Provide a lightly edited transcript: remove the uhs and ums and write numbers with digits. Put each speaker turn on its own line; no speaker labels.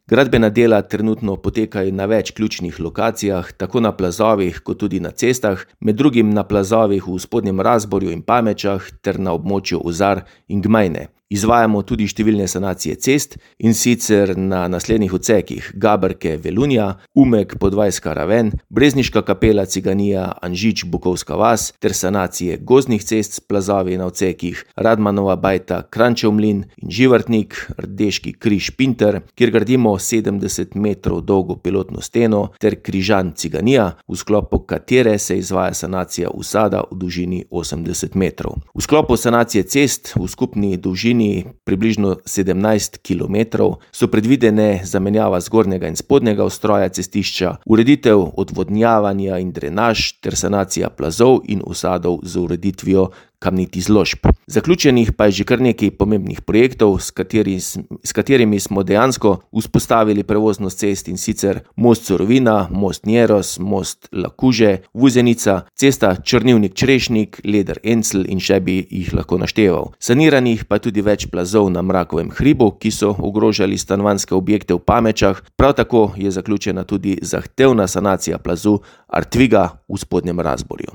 Gradbena dela trenutno potekajo na več ključnih lokacijah, tako na plazovih kot tudi na cestah, med drugim na plazovih v Spodnjem Razborju in Pamečah ter na območju Ozar in Gmajne. Izvajamo tudi številne sanacije cest, in sicer na naslednjih odsekih: Gaberke-Velunja, Umek-Podvajska raven, Brezniška kapela Ciganija, Anžič-Bukovska vas ter sanacije gozdnih cest s plazovi na odsekih Radmanova Bajta, Kranjčev mlin in Živartnik, Rdeški križ-Pinter, kjer gradimo 70 metrov dolgo pilotno steno, ter Križan-Ciganija, v sklopu katere se izvaja sanacija usada v dolžini 80 metrov. V sklopu sanacije cest v skupni dolžini približno 17 kilometrov so predvidene zamenjava zgornjega in spodnjega ustroja cestišča, ureditev odvodnjavanja in drenaž ter sanacija plazov in usadov z ureditvijo kamnitih zložb. Zaključenih pa je že kar nekaj pomembnih projektov, s katerimi smo dejansko vzpostavili prevoznost cest, in sicer most Surovina, most Njeros, most Lakuže, Vuzenica, cesta Črnivnik-Črešnik, Leder-Encl in še bi jih lahko našteval. Saniranih pa je tudi več plazov na Mrakovem hribu, ki so ogrožali stanovanjske objekte v Pamečah, prav tako je zaključena tudi zahtevna sanacija plazu Artviga v Spodnjem Razborju.